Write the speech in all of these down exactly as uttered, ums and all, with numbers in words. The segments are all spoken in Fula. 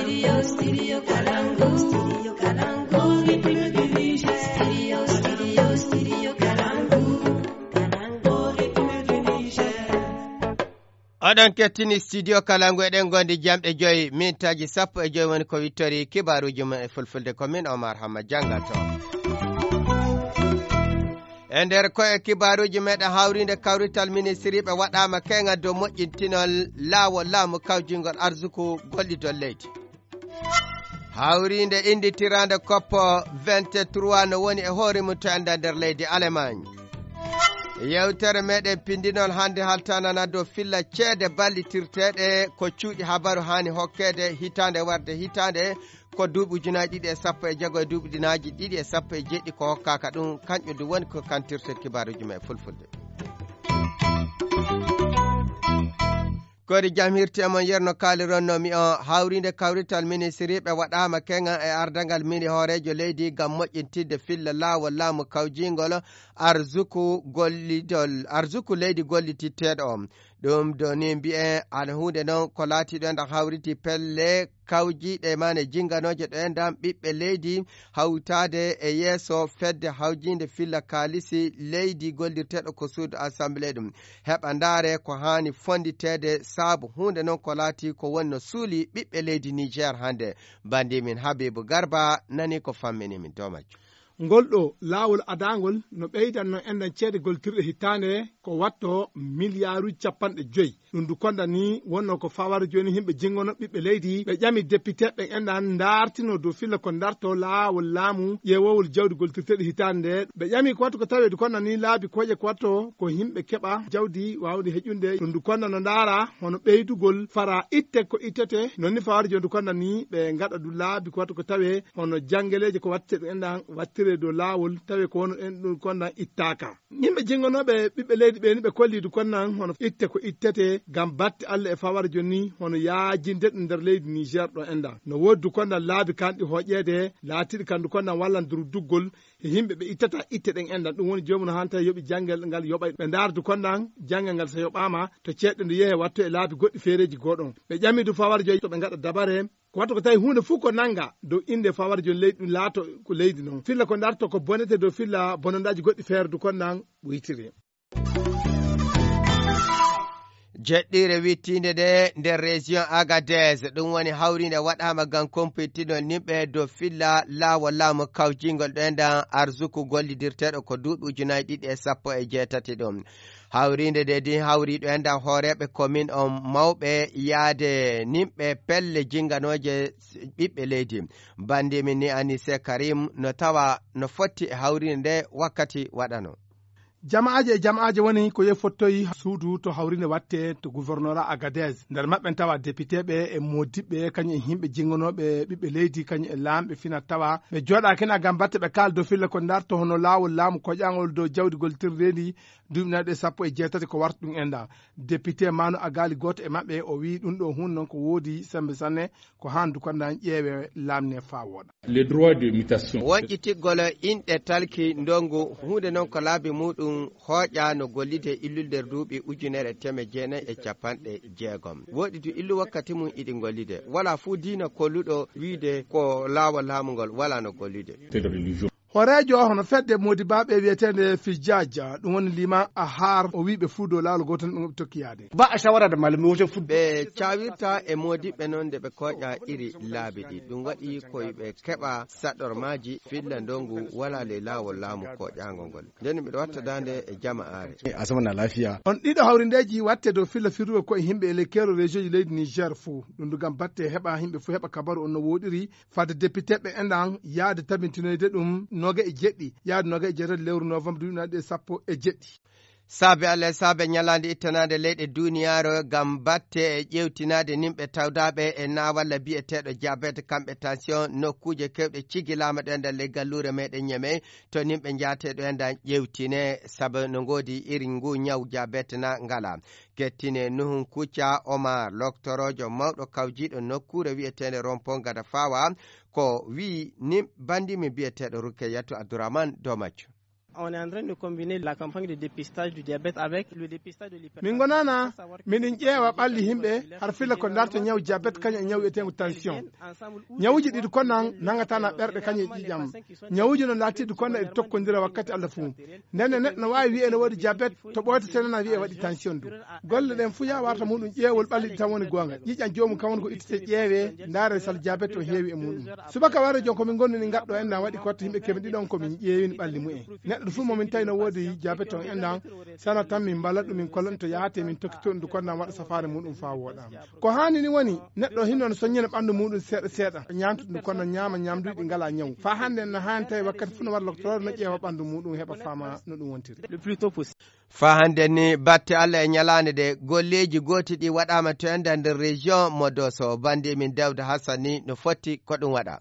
Studio, studio Kalangu, studio Kalangu, rythme du Niger. Studio, studio, studio Kalangu, Kalangu, rythme du Niger. Oɗon kettini studio Kalangu, eɗen gondi jamɗe joyi, mintaaji sappo e joyi woni ko wittori kibaaruuji mum e fulfulde, ko min Omar Hamma janngato. E nder ko e kibaaruuji meɗen hawriinde, kawrital ministiriiɓe waɗaama keŋal dow moƴƴintinol laawol laamu kawjingol arsuku gollidol leydi. Hawriinde innditiraande koppo vingt-trois no woni e hoore mum to enda nder leydi Allemagne. Yewtere meɗen pindinol hannde haltanana dow filla ceede ballitirteeɗe ko cuuɗi habaru haani hokkeede hitaande warde hitaande, ko duuɓi ujunaaji ɗiɗi e sappo e jeego e duuɓi ujunaaji ɗiɗi e sappo e jeeɗiɗi ko hokkaaka ɗum, kanƴum ɗum woni ko kantirten kibaaruuji men e fulfulde. Kori jam hirti e mon, yerno kaalironno mi o hawriinde kawrital ministiriiɓe waɗaama keŋa e ardangal mini hooreejo leydi ngam moƴƴintinde filla laawol laamu kawjingol arsuku gollidol, arsuku leydi gollititteeɗo o. Ɗum do ni mbi'en ana huunde noon ko laatiiɗo enɗan hawriti pelle kawjiiɗe mane jinganooje ɗo enɗan ɓiɓɓe leydi hawtaade e yeeso fedde hawjiinde filla kaalisi leydi gollirteeɗo ko suudu assemblée ɗum. Heɓa ndaare ko haani fonnditeede saabu huunde noon ko laati ko woni no suuli ɓiɓɓe leydi Niger hannde. Banndimin Habibu Garba nani ko fammini min dow majjum. Ngol ɗo laawol adaangol no ɓeydanno enɗan ceede goltirɗe hitaande ko watto miliyaaruuji capanɗe joyi. Ɗum du konda ni wonno ko fawara jooni yimɓe jingono ɓiɓɓe leydi ɓe ƴami depiteeɓe enɗan ndaartino dow filla ko ndarto laawol laamu ƴeewowol jawdi goltirteeɗi hitaande nde. Ɓe ƴami ko wattu ko taweedu konda ni laabi koƴe ko watto ko yimɓe keɓa jawdi waawde heƴunde. Ɗum du konda no ndaara hono ɓeydugol fara itte ko ittete. Non ni fawara jooni du konda ni ɓe ngaɗa du laabi ko wattu ko tawe hono janngeleeje ko watte ɗum enɗan wattire dow laawol tawe ko wono en ɗum konda ittaaka. Yimɓe jingonooɓe ɓiɓɓe leydi ɓe ni ɓe kolli du kondan hono itte ko ittete ngam batte Allah e fawara jooni hono yaajinde ɗum nder leydi Niger ɗo enɗan. No woodi du kondan laabi kanɗi hoƴeede laatiiɗi kan du kondan wallan durduggol e yimɓe ɓe ittata itte ɗen enɗan. Ɗum woni joomum no hanta yoɓi janngel ngal yoɓay ɓe ndaara du kondan janngel ngal so yoɓaama to ceeɗɗe ndu yehe watto e laabi goɗɗi feereeji goɗon. Ɓe ƴami du fawara jooni to ɓe ngaɗa dabare ko wattu ko tawi huunde fof ko nannga dow innde fawara jooni leydi ɗum laato ko leydi noon. Filla ko ndarto ko bonete dow filla bonondaaji goɗɗi feere du kondan ɓuytiri. Jeɗɗiire wittiinde nde nder région Agadez, ɗum woni hawriinde waɗaama ngam kumpitinol nimɓe dow filla laawol laamu kawjingol ɗo enɗan arsuku gollidirteeɗo ko duuɓi ujunaaji ɗiɗi e sappo e jeetati ɗum. Hawriinde nde din hawri ɗo enɗan hooreeɓe komin on mawɓe yaade nimɓe pelle jinganooje ɓiɓɓe leydi. Banndimin ni Anise Karim no tawa no fotti e hawriinde nde wakkati waɗano. Jama'aaje e jama'aaje woni ko yehi fottoyi suudu to hawriinde watte to gouvernorat Agadez. Nder maɓɓe en tawa depiteeɓe e moodiɓɓe, kañum e yimɓe jingonooɓe ɓiɓɓe leydi, kañum e laamɓe fina tawa. Ɓe jooɗaaki na ngam batte ɓe kaaldo filla ko ndarto hono laawol laamu koƴaangol dow jawdi gollitirndeedi duuɓi nayi ɗe sappo e jeetati ko warta ɗum enɗan. Député Manu Agali gooto e maɓɓe o wiyi ɗum ɗo huunde noon ko woodi sembe sanne ko haan du kondan ƴeewe laamne faa wooɗa. Les droits de mutation. Wonƴitigol inɗe talki ndongu huunde noon ko laabi muɗum hooƴa no gollide illul nder duuɓi ujunere teme jeenayi e capanɗe jeegom. Woɗi du illu wakkati mum iɗi gollide. Wala fuu diina kolluɗo wiide ko laawol laamu ngol wala no gollide. C'est de religion. Horeejo hono fedde modibaaɓe wiyeteende Fijaja, ɗum woni Lima Ahar, o wii ɓe fuu dow laawol gooto ɗum ɓe tokki yaade. Ba a shawara da malamai wajen football. Ɓe cawirta e modibɓe noon nde ɓe koƴa iri laabi ɗi. Ɗum waɗi ko ɓe keɓa saɗormaaji filla ndongu wala ley laawol laamu koƴaango ngol. Nden miɗo watta daande e jama'aare. A zama na lafiya. On ɗiɗo hawrindeeji watte dow filla firrugo koye yimɓe e ley keero région ji leydi Niger fuu. Ɗum du ngam batte heɓa yimɓe fuu heɓa kabaru on no woɗiri. Fadde depiteeɓe enɗan yaade tabintinoyde ɗum noga e jeɗɗi, yaade noga e jeetati lewru novembre duuɓi nayi ɗe sappo e jeɗɗi. Saabe Allah e saabe ñalaande ittanaande leyɗe duuniyaaru ngam batte e ƴeewtinaade nimɓe tawdaaɓe e naawalla biyeteeɗo diabète, kamɓe tension, nokkuuje keewɗe cigilaama ɗo enɗan ley galluure meɗen Ñemey, to nimɓe njaatee ɗo enɗan ƴeewtine, sabu no ngoodi irin ngu ñaw diabète na ngala. Kettine Nuhun Kucca Omar, loktoroojo mawɗo kawjiiɗo nokkuure wiyeteende Rompon Gada Fawa, ko wiyi ni banndimi biyeteeɗo Rukeyatu Abdourahmane dow majjum. On est en train de combiner la campagne de dépistage du diabète avec le dépistage de l'hypertension. Min ngonana, miɗen ƴeewa ɓalli yimɓe har filla ko darta ñaw diabète kañum e ñaw wiyeteengo tension. Ñawuuji ɗiɗi konan nangatana ɓerɗe kañum e ƴiƴam. Ñawuuji no laatiɗi konan e tokkondira wakkati Allah fuu. Nden e neɗɗo no waawi wi'e no woodi diabète, to ɓooyta senana wi'e waɗi tension du. Golle ɗen fuu ya warta muɗum ƴeewol ɓalli ɗi tan woni goonga. Ƴiƴam joomum kan woni ko ittete ƴeewe, ndaare sal diabète o heewi e muɗum. Subaka warde jon ko min ngonduni ngatɗo en na waɗi kotta yimɓe keme ɗiɗon ko min ƴeewini ɓalli mumen. Neɗɗo fuu mo min tawi no woodi diabète on enɗan, sana tan min mballa ɗum min kollan to yahate min tokkito ɗum ko nan waɗa safaare muɗum faa wooɗa. Ko haani ni woni neɗɗo hinno no soññina ɓanndu muɗum seeɗa seeɗa, ñaamtude ɗum kono ñaama ñaamduuji ɗi ngalaa ñawu. Faa hannde en no haani tawi wakkati fuu no waɗa loktoroore no ƴeewa ɓanndu muɗum heɓa faama no ɗum wontiri. Le plus tôt possible. Faa hannde ni batte Allah e ñalaande ɗe golleeji gooti ɗi waɗaama to enda nder région mo Doso. Bandi min Dawda Hassani no fotti ko ɗum waɗa.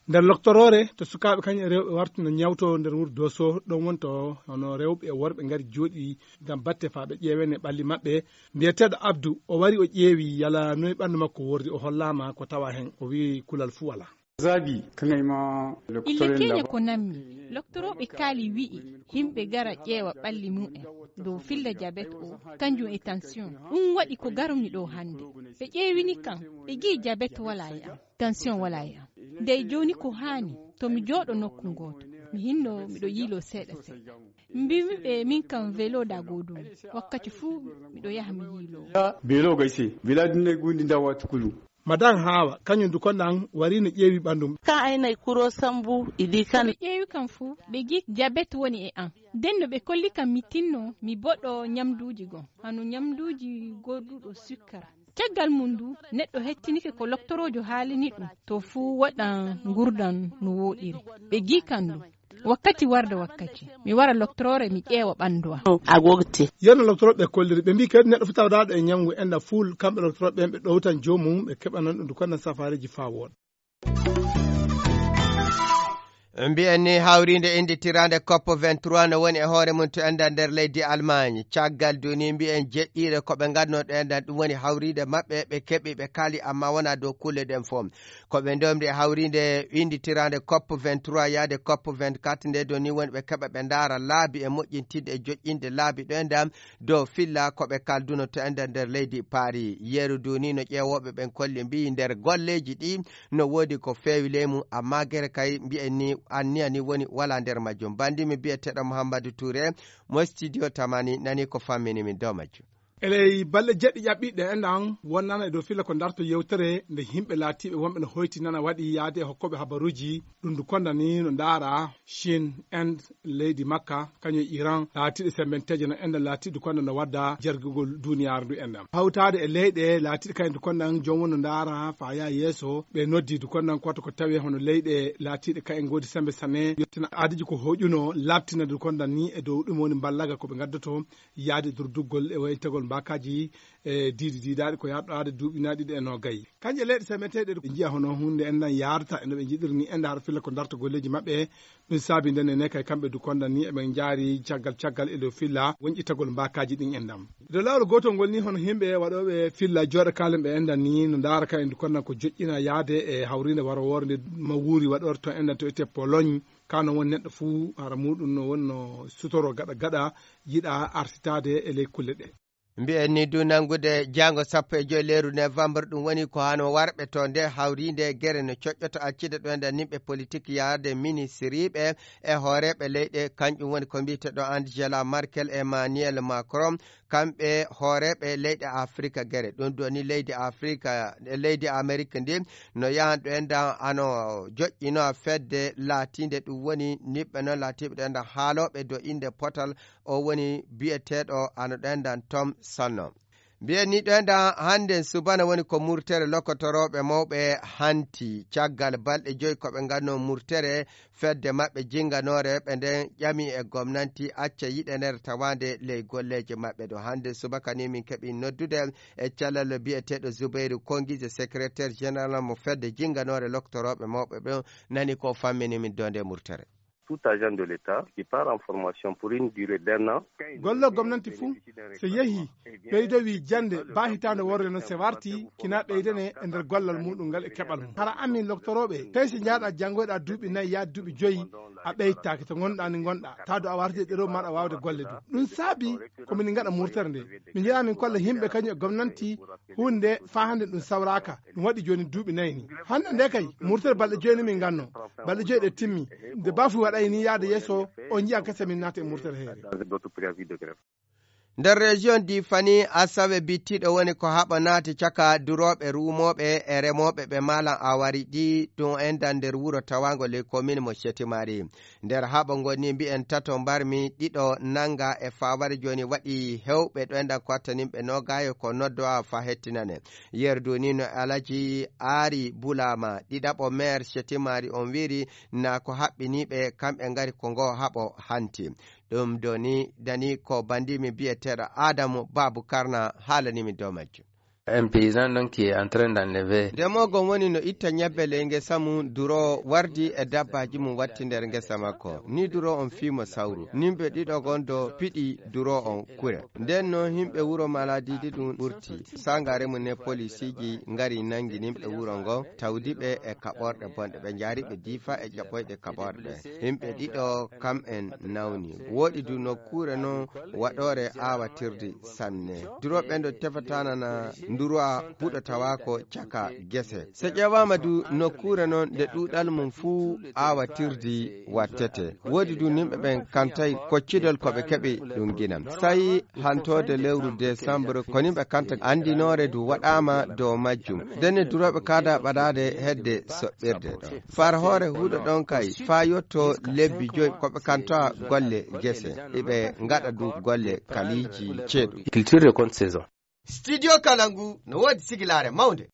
Nder loktoroore to sukaaɓe kañum e rewɓe warti no ñawto nder wuro Doso, ɗon woni to hono rewɓe e worɓe ngari jooɗi ngam batte faa ɓe ƴeewene ɓalli maɓɓe. Mbiyeteeɗo Abdu, o wari o ƴeewi yala noy ɓanndu makko wordi, o hollaama ko tawa heen, o wi'i kulal fuu walaa. Zabi, ka ngai ma. Ille keñe ko nammi, loktorooɓe kaali wi'i, yimɓe gara ƴeewa ɓalli mumen, dow filla jabet o, kanjum e tension. Ɗum waɗi ko garumi ɗo hannde. Ɓe ƴeewini kam, ɓe gi'i jabet walaa e am, tension walaa e am. Ndey jooni ko haani, to mi jooɗo nokku ngooto, mi hinno miɗo yiiloo seeɗa seeɗa. Mbiimi ɓe min kam velo da goodumi, wakkati fuu miɗo yaha mi yiiloo. Belo gaise, vela dinne gundi ndawa tukulu. Madan Hawa, kañum du ko nan wari no ƴeewi ɓanndu. Kan aynay kuro sambu, idi kan. Ko ɓe ƴeewi kam fuu, ɓe gi jabet woni e an. Nden no ɓe kolli kam mi tinno, mi boɗo ñamduuji goo, hano ñamduuji gooduɗo sukkara. Caggal mum du, neɗɗo hettinike ko loktoroojo haalini ɗum, to fuu waɗan ngurdan no wooɗiri. Ɓe gi kan du. Wakkati warda wakkati, mi wara loktoroore, mi ƴeewa ɓanndu am. A gogti. Yano loktoroɓe kolliri, ɓe mbii kadi neɗɗo fuu tawdaaɗo e ñawngu enda fuul, kamɓe loktoroɓe ɓen ɓe ɗowtan joomum, ɓe keɓanan ɗum du kono safaareeji faa wooɗa. Mbiyen ni hawriinde innditiraande cop vingt-trois no woni e hoore mum to enda nder leydi Allemagne. Caggal duni mbiyen jeɗɗiire ko ɓe ngadno ɗo enda ɗum woni hawriinde maɓɓe, ɓe keɓi, ɓe kaali, amma wonaa dow kulle ɗen fof. Ko ɓe ndomri e hawriinde innditiraande cop vingt-trois yaade cop vingt-quatre nde doni woni ɓe keɓa ɓe ndaara laabi e moƴƴintinde e joƴƴinde laabi ɗo enda dow filla ko ɓe kalduno to enda nder leydi Paris. Yeru duni no ƴeewooɓe ɓen kolli mbiyi nder golleeji ɗi no woodi ko feewi ley mum, amma gere kay mbiyen ni anniya ni woni wala nder majjum. Bandimi biyeteeɗo Mouhamadou Touré mo studio Tamani nani ko fammini min dow majjum. E ley balɗe jeɗɗi ƴaɓɓiɗe enɗan wonnana e dow filla ko darto yewtere nde yimɓe laatiiɓe wonɓe no hoytinana waɗi yaade e hokkooɓe habaruuji ɗum ndu kondani no ndaara Chine, Inde, leydi Makka, kañum e Iran, laatiiɗe sembenteeje no enɗan laatiiɗe konda no wadda jergugol duniyaaru ndu enɗan. Hawtaade e leyɗe laatiiɗe kañum ndu kondan joom won no ndaara faa yaa yeeso, ɓe noddi ndu kondan koto ko tawi hono leyɗe laatiiɗe kañum ngoodi sembe sane, yettina aadiji ko hoƴuno, labtina ndu kondan ni e dow ɗum woni mballaga ko ɓe ngaddoto, yaade durduggol e waytagol mbaakaaji e diidi diidaaɗi ko yaɗɗaade duuɓi na ɗiɗi e noogay. Kanje leyɗe semeteeɗe ɗe njiya hono huunde enɗan yaarata e no ɓe njiɗiri ni enɗan har filla ko darta golleeji maɓɓe. Ɗum saabi nden ene kay kamɓe du kondan ni eɓe njaari caggal caggal e dow filla wonƴitagol mbaakaaji ɗin enɗan. Dow laawol gootol ngol ni hono yimɓe waɗooɓe filla jooɗa kaalen ɓe enɗan ni no ndaara kan e du kondan ko joƴƴina yaade e hawriinde warowoore nde ma wuuri waɗoore to enɗan to ete Pologne. Kano won neɗɗo fuu hara muɗum no wonno sutoro gaɗa gaɗa yiɗa arsitaade e ley kulle ɗe. Mbiyen ni du nanngude jaango sappo e joy leeru novembre, ɗum woni ko hano warɓe to nde hawriinde gere no coƴƴoto accide ɗo enda nimɓe politik yaade ministiriiɓe e hooreeɓe leyɗe, kanƴum woni ko mbiyete ɗo Angela Merkel e Emmanuel Macron, kamɓe hooreeɓe leyɗe Afrika gere. Ɗum ɗo ni leydi Afrika, leydi Amerik ndi no yahan ɗo enda ano joƴƴino fedde laatiinde ɗum woni niɓɓe noon laatiiɓe ɗo enda haalooɓe do innde potal o woni biyeteeɗo ano ɗo enɗan Tom Sonno. Mbiyen ni ɗo enɗan hannden subana woni ko murtere lokotorooɓe mawɓe hanti caggal balɗe joyi ko ɓe nganno murtere fedde maɓɓe jinnganoore ɓe nden ƴami e gomnanti acca yiɗanere tawaande ley golleeje maɓɓe ɗo. Hannde subaka ni min keɓi noddude e calal biyeteeɗo Zubairu Kongije, secrétaire général mo fedde jinnganoore lokotorooɓe mawɓe ɓen, nani ko fammini min dow nde murtere. tout agent de l'État qui part en formation pour une durée d'un an. Golle gomnanti fuu, so yehii, ɓeydowii jannde baa hitaande worre noon, so wartii, kina ɓeydane e nder gollal muɗum ngal e keɓal mum. Hara amin loktorooɓe, tawi so njahɗaa janngoyɗaa duuɓi nayi, yaade duuɓi joyi, a ɓeytaaki to ngonɗaa ni ngonɗaa, tawa a wartii e ɗerewol maaɗa waawde golle ɗum. Ɗum saabi ko min ngaɗa murtere nde. Min njiɗaa min kolla yimɓe kañum e gomnanti huunde nde faa hannde ɗum sawraaka. Ɗum waɗi jooni duuɓi nayi ni. Hannde nde kay, murtere balɗe joyi ni min ngannoo. Balɗe joyi ɗe timmi. Nde baafuy waɗay ni yaade yeeso, on njiya kese min naata e murtere heere. Dans d'autres préavis de grève. Nder région di Fani, asawe bittiɗo woni ko haɓa naati caka durooɓe, ruumooɓe e remooɓe ɓe maalan awari ɗi ɗum enɗan nder wuro tawaango ley komin mo Shetimari. Nder haɓa ngoni mbi'en tato mbarmi, ɗiɗo nanga e faaware jooni waɗi hewɓe ɗo enɗan ko attaninɓe noogayo ko noddowa fa hettinane. Yerdu ni no Alaji Aari Bulaama, ɗiɗaɓo maire Shetimari on wiiri na ko haɓɓiniiɓe kamɓe ngari ko ngo haɓo hanti. Ɗum do ni dani ko bandimi biyeteeɗo Adamu Babu Karna haalani min dow majjum. Un paysan donc qui est en train d'enlever. Ndemoogo woni no itta ñebbe ley ngesa mum, duro wardi e dabbaaji mum watti nder ngesa makko. Ni duro on fiimo sawru. Nimɓe ɗiɗo gon do piɗi duro on kure. Nden no yimɓe wuro Maladidi ɗum ɓurti. Sangaare mum ne polisiiji ngari nangi nimɓe wuro ngo, tawdi ɓe e kaɓorɗe bonɗe. Ɓe njaari ɓe diifa e ƴaɓɓoyɗe kaɓorɗe. Yimɓe ɗiɗo kam en nawni. Woɗi du nokkuure non waɗoore aawatirdi sanne. Durooɓe ɓen ɗo tefatanana nduruwa huɗo tawaako caka gese. So ƴeewaama du nokkuure non nde ɗuuɗal mum fuu aawatirdi wattete. Woodi du nimɓe ɓen kantay koccudol ko ɓe keɓi ɗum ginam. Sayi hantoode lewru décembre ko nimɓe kanta anndinoore du waɗaama dow majjum. Denne durooɓe kaada ɓadaade hedde soɓɓirde ɗo. Far hoore huɗo ɗon kay faa yotto lebbi joy ko ɓe kantoa golle gese. Iɓe ngaɗa du golle kaliiji ceeɗu. Culture de compte saison. Studio Kalangu no woodi sigilaare mawnde.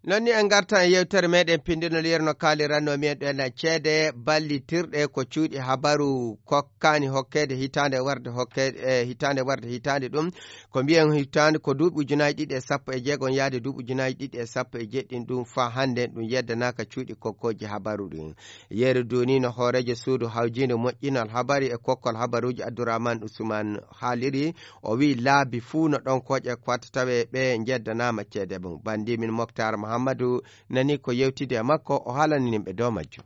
Non ni en ngartan e yewtere meɗen pindinol yerno kaaliranno mi en ɗo ena ceede ballitirɗe ko cuuɗi habaru kokkaani hokkeede hitaande warde hokkeede, e hitaande warde hitaande ɗum. Ko mbiyen hitaande ko duuɓi ujunaaji ɗiɗi e sappo e jeegom yaade duuɓi ujunaaji ɗiɗi e sappo e jeɗɗi ɗum faa hannde ɗum yeddanaaka cuuɗi kokkooji habaru ɗin. Yeru duuni no hooreejo suudu hawjiinde moƴƴinal habari e kokkol habaruuji Abdourahmane Ousmane haaliri, o wi'i laabi fuu no ɗon kooƴe ko watta tawe ɓe njeddanaama ceede mum. Banndi min Moktar Mahammadu nani ko yewtidi e makko, o haalani nimɓe dow majjum.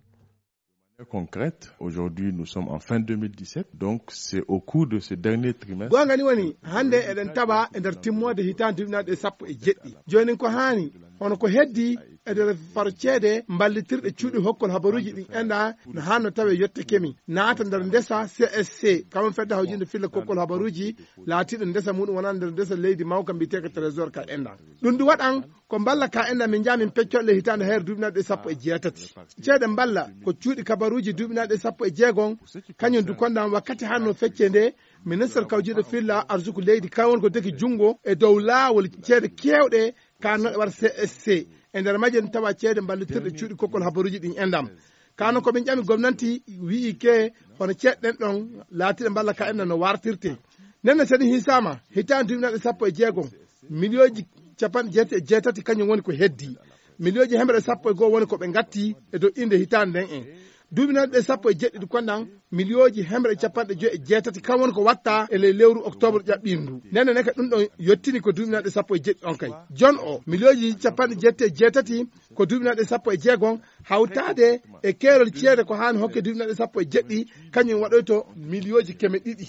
Concrète, aujourd'hui nous sommes en fin deux mille dix-sept, donc c'est au cours de ce dernier trimestre. Goonga ni woni, hannde eɗen tawa e nder timmoode hitaande duuɓi nayi ɗe sappo e jeɗɗi. Jooni ko haani, hono ko heddi e nder faro ceede mballitirɗe cuuɗi hokkol habaruuji ɗin enɗa no haanno tawe yette kemi naata nder ndesa C S C, kamon fedde hawjinde filla kokkol habaruuji laatiiɗo ndesa muɗum wonaa nder ndesa leydi mawka mbiyeteeka trésor ka enɗa. Ɗum ɗum waɗan ko mballa ka enɗa min njaa min peccolle hitaande hayre duuɓi nayi ɗe sappo e jeetati. Ceede mballa ko cuuɗi kabaruuji duuɓi nayi ɗe sappo e jeegom, kañum du konɗan wakkati hanno fecce nde ministre kawjiiɗo filla arsuku leydi kan woni ko deki junngo e dow laawol ceede keewɗe ka no waɗa C S C. E nder majje ɗum tawa ceede mballitirɗe cuuɗi kokkol habaruuji ɗin enɗam. Kano ko min ƴami gomnanti wi'i ke hono ceeɗe ɗen ɗon laatiɗe mballa ka enɗam no wartirte. Nden no seni hisaama hitaande duuɓi nayi ɗe sappo e jeegom, miliyooji capanɗe jeetati e jeetati kañum woni ko heddi. Miliyooji hemre sappo e goo woni ko ɓe ngatti e dow innde hitaande nden en. Duuɓi nayi ɗe sappo e jeɗɗi ɗi konɗan miliyooji hemre capanɗe joyi e jeetati kan woni ko watta e ley lewru octobre ƴaɓɓiindu. Nden ne ka ɗum ɗon yottini ko duuɓi nayi ɗe sappo e jeɗɗi on kay. Jon o miliyooji capanɗe jeetati e jeetati ko duuɓi nayi ɗe sappo e jeegom hawtaade e keerol ceede ko haani hokke duuɓi nayi ɗe sappo e jeɗɗi kañum waɗoyto miliyooji keme ɗiɗi.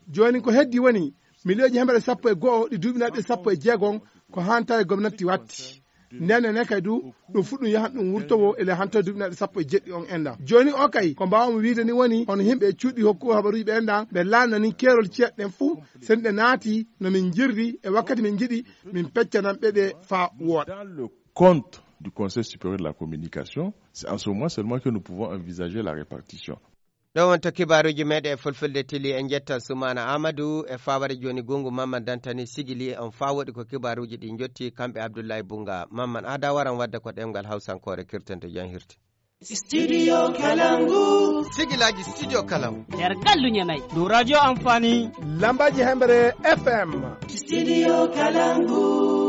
Jooni ko heddi woni miliyooji hemre sappo e goo ɗi duuɓi nayi ɗe sappo e jeegom ko haani tawi gomnati watti. Nden ne kay du ɗum fuɗɗum yahan ɗum wurtowo ele hanto duuɓi nayi ɗe sappo e jeɗɗi on enɗam. Jooni o kay ko mbaawmi wiide ni woni hono yimɓe e cuuɗi hokku habaruuji ɓe enɗam ɓe laanani keerol ceeɗe ɗen fuu sen ɗe naati no min njirri e wakkati min njiɗi min peccanan ɓe ɗe faa wooɗa. Dans le compte du Conseil supérieur de la communication, c'est en ce moment seulement que nous pouvons envisager la répartition. Ɗo wonto kibaaruuji meɗen e fulfulde tili. En njettan Sumaana Aamadu e faaware jooni gungu Mamman Dantani sigili on faa woɗi ko kibaaruuji ɗi njotti kamɓe Abdullahi Bunga. Mamman aada waran wadde ko ɗemngal Hawsankoore kirtento jan hirti. Studio Kalangu. Sigilaaji Studio Kalangu. Nder gallu Ñamay. Dow radio Amfani. Lambaaji Hemre F M. Studio Kalangu.